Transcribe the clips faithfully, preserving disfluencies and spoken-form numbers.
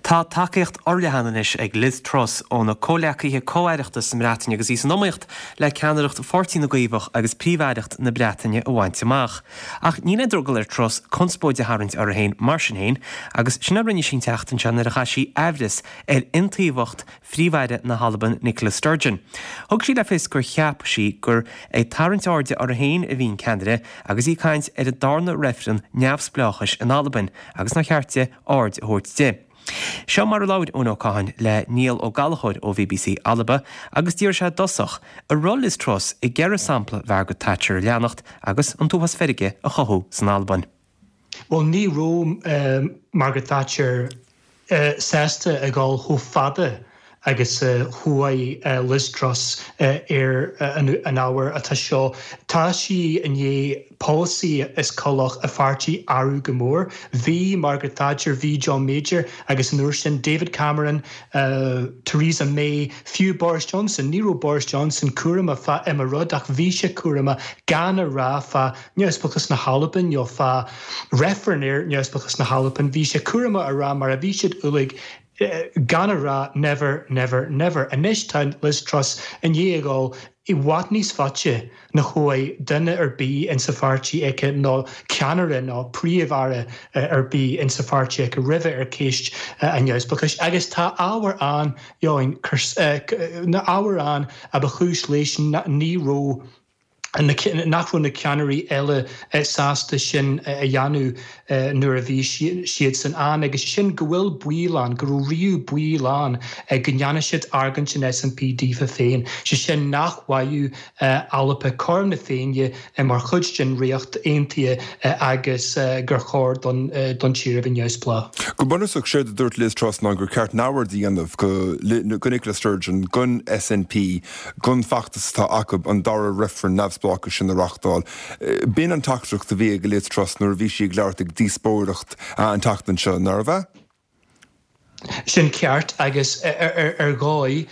Tá tacaíocht fhorleathan anois ag Liz Truss óna comhghleacaithe comh-aireachta sa mBreatain agus í san iomaíocht le ceannaireacht Pháirtí na gCaomhach agus príomh-aireacht na Breataine a bhaint amach. Ach níl aon drogall ar Truss conspóid a tharraingt uirthi féin mar sin féin, agus sin a rinne sí an tseachtain seo nuair a chaith sí aimhreas ar iontaofacht Phríomh-Aire na hAlban Nicola Sturgeon. Thug sí le fios gur cheap sí gur ag tarraingt airde uirthi féin a bhí an ceannaire agus í ag caint ar an darna reifreann neamhspleáchais in Albain agus nár cheart di aird a thabhairt di. Seo mar a labhair Eoin Ó Catháin le Niall Ó Gallchóir ó B B C Alba agus d'iarr sé i dtosach an raibh Liz Truss ag iarraidh sampla Margaret Thatcher a leanacht agus an t-uafás feirge a chothú san Albain. Well, ní raibh um, Margaret Thatcher uh, sásta ag dul chomh fada agus uh, chuaigh uh, Liz Truss uh, ar uh, an, an ábhar atá seo. Tá sí i ndiaidh polasaí is cumhach a pháirtí athrú go mór. Bhí Margaret Thatcher, bhí John Major agus an uair sin David Cameron, uh, Theresa May, fiú Boris Johnson, ní raibh Boris Johnson cúramach fá aon rud ach bhí sé cúramach gan a rá fá neamhspleáchas na hAlban nó fá reifreann ar neamhspleáchas na hAlban, bhí sé cúramach a rá mar a bhí siad uilig gan a rá "never, never, never". Anois tá Liz Truss i ndiaidh dul i bhfad níos faide ná chuaigh duine ar bith insa pháirtí aici nó ceannaire nó príomh-aire ar bith insa pháirtí aici roimhe ar cheist an neamhspleáchais. Agus tá ábhar ann na ábhar ann a ba chúis leis ní raibh nach raibh na ceannairí eile sásta sin a dhéanamh nuair a bhí siad san ann agus sin go bhfuil baol ann, go raibh riú baol ann go ndéanfaidh siad argóint an S N P daofa féin. sé sin nach bhfaigheadh Alba cothrom na Féinne mar chuid den Ríocht Aontaithe agus gur chóir don don tír a bheith neamhspleách. Go bunúsach, séard a dúirt Liz Truss ná gur ceart neamhaird a dhéanamh go go Nicola Sturgeon, gon S N P, gon feachtas atá acu an dara reifreann neamhspleáchais sin a reáchtáil. B'in an teachtaireacht a bhí ag Liz Truss nuair a bhí sí ag labhairt ag díospóireacht an tseachtain seo, nárbh ea? Sin ceart agus ar ar dhóigh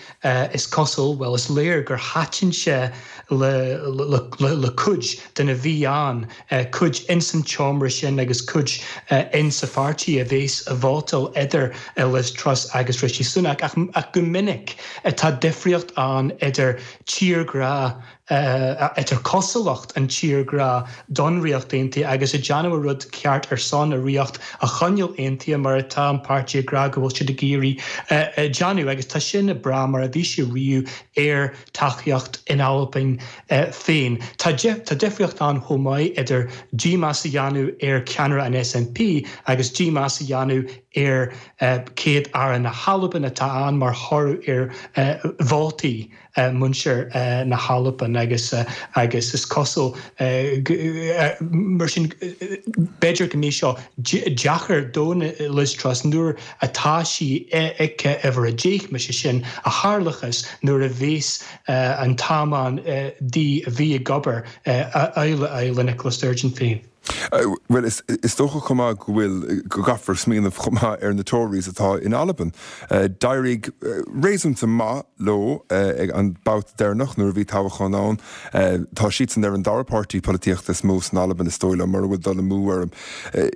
is cosúil, well, is léir gur thaitin sé le, le, le, le cuid de na bhí ann, cuid insan tseomra sin agus cuid insa pháirtí a bheas ag vótáil idir Liz Truss agus Rishi Sunak ach, ach go minic tá difríocht ann idir tírghrá, idir cosúlacht an tírghrá don Ríocht Aontaithe agus ag déanamh rud ceart ar son a ríocht a choinneáil aontaithe mar atá an páirtí ag rá go bhfuil siad ag iarraidh déanamh agus tá sin ag brath mar a bhí sé riamh ar tacaíocht in Albain féin. Tá tá difríocht ann chomh maith idir dímheas a dhéanamh ar cheannaire an S N P agus dímheas a dhéanamh ar céad aire na hAlban atá ann mar thoradh ar vótaí muintir na hAlban agus agus is cosúil mar sin b'fhéidir go mbeidh seo deacair do Liz Truss nuair atá sí ag uimhir a deich mar sin a tharlachas nuair a bhís an t-am ann di a bhí ag obair eile eile Nicola Sturgeon féin. Well, is, is dócha chomh maith go bhfuil go gcaithfear smaoineamh chomh maith ar na Tories atá in Albain. D'éirigh réasúnta maith leo ag an babhta deireanach nuair a bhí toghchán ann. Tá siad san ar an dara páirtí polaitíochta is mó san Albain, is dóigh liom, mura bhfuil dul amú orm.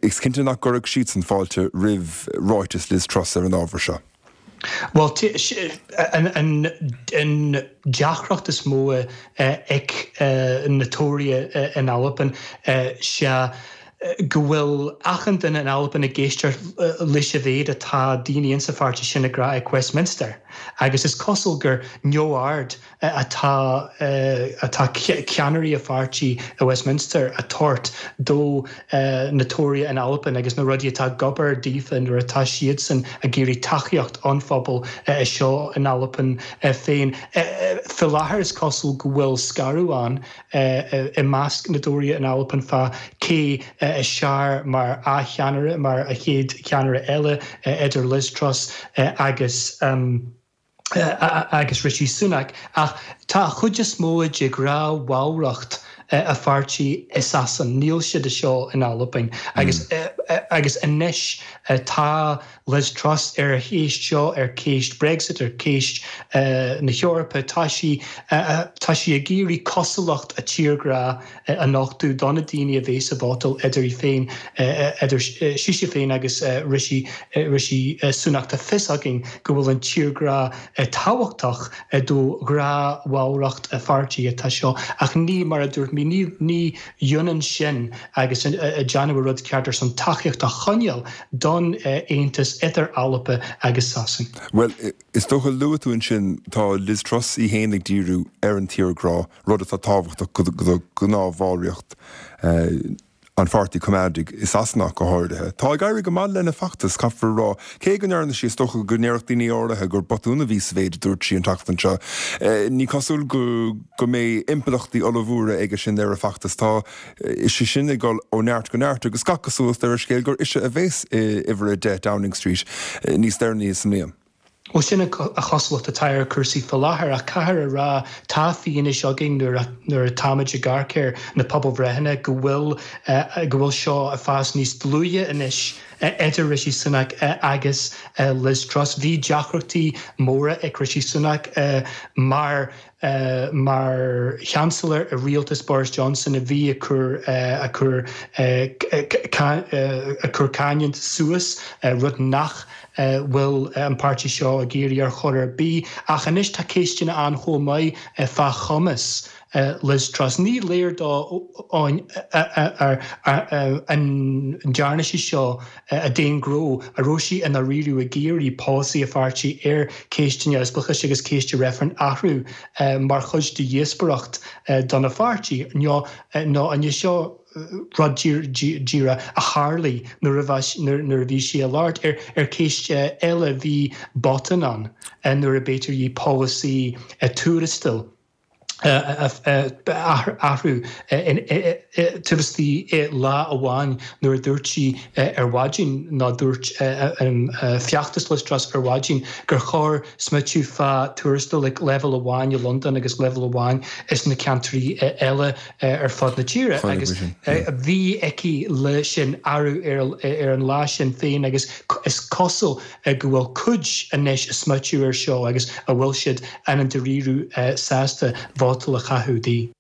Is cinnte nach gcuirfeadh siad san fáilte roimh ráiteas Liz Truss ar an ábhar seo. Well, an, an, an deacracht is mó ag na Tóraithe in Albain sé go bhfuil achan duine in Albain ag éisteacht leis an mhéid atá daoine insa pháirtí sin ag rá ag Westminster. Agus is cosúil gur neamhaird atá atá ceannairí a pháirtí i Westminster ag tabhairt do na Tóraithe in Albain agus na rudaí atá ag obair daofa nuair atá siadsan ag iarraidh tacaíocht an phobal seo in Albain féin. Faoi láthair is cosúil go bhfuil scaradh ann i measc na dTóraithe in Albain fá cé is fearr mar a cheannaire, mar a chéad cheannaire eile idir Liz Truss agus um, agus Rishi Sunak, ach tá chuid is mó de ghnáthbhallraíocht a pháirtí i Sasain, níl siad seo in Albain agus mm. agus anois tá Liz Truss ar a chéist seo ar chéist Brexit ar chéist uh, na hEorpa tá sí uh, tá sí ag iarraidh cosúlacht a tírghrá a nochtadh do na daoine a bheas ag vótáil idir í féin idir sise féin agus Rishi Rishi Sunak tá fios againn go bhfuil an tírghrá tábhachtach do ghnáthbhallraíocht a pháirtí atá seo ach ní mar a dúirt mé ní ní ionann sin agus déanamh rud ceart ar son tacaíocht a choinneáil don aontas idir Albain agus Sasain. Well, is dócha luaigh tú ansin tá Liz Truss í féin ag díriú ar an tírghrá rud atá tábhachtach do ghnáthbhallraíocht an Pháirtí Choimeádaigh i Sasana go háirithe. Tá ag éirí go maith lena feachtas caithfear rá cé go ndearna sí is dócha go ndéarfadh daoine áirithe gur botún a bhí sa mhéid a dúirt sí an tseachtain seo. Ní cosúil go go mbeidh impleachtaí ollmhóra aige sin ar a feachtas tá is sí sin ag dul ó neart go neart agus gach cosúlacht ar an scéal gur ise a bheas i uimhir a deich Downing Street níos deireanaí sa mbliain. Ó sin a chosúlacht atá ar cúrsaí faoi láthair ach caithfear a rá tá fianaise againn nuair nuair atáimid ag amharc ar na pobalbhreitheanna go bhfuil go bhfuil seo ag fás níos dlúithe anois idir Rishi Sunak agus Liz Truss. Bhí deacrachtaí móra ag Rishi Sunak mar mar Chancellor i rialtas Boris Johnson a bhí ag cur a chur a chur cáin suas rud nach bhfuil an páirtí seo ag iarraidh ar chor ar bith ach anois tá ceisteanna ann chomh maith fá chumas Liz Truss. Ní léir dó an ndearna sí seo d'aon ghnó a raibh sí ina riú ag iarraidh polasaí a pháirtí ar ceisteanna spleáchais agus ceist reifreann athrú mar chuid de dhíospóireacht don pháirtí nó nó an seo rud díreach a tharla nuair nuair a bhí sí ag labhairt ar ar ceist eile bhí botún ann nuair a b'fhéidir í polasaí tuarastail athrú taobh istigh lá amháin nuair a dúirt sí ar maidin ná dúirt feachtas Liz Truss ar maidin gur chóir smaoitiú fá tuarastal ag leibhéal amháin i Londain agus leibhéal amháin is na ceantraí eile ar fud na tíre agus bhí aici le sin athrú ar an lá sin féin agus is cosúil go bhfuil cuid anois ag smaoitiú ar seo agus a bhfuil siad an an dáiríre sásta vótáil a chaitheamh di.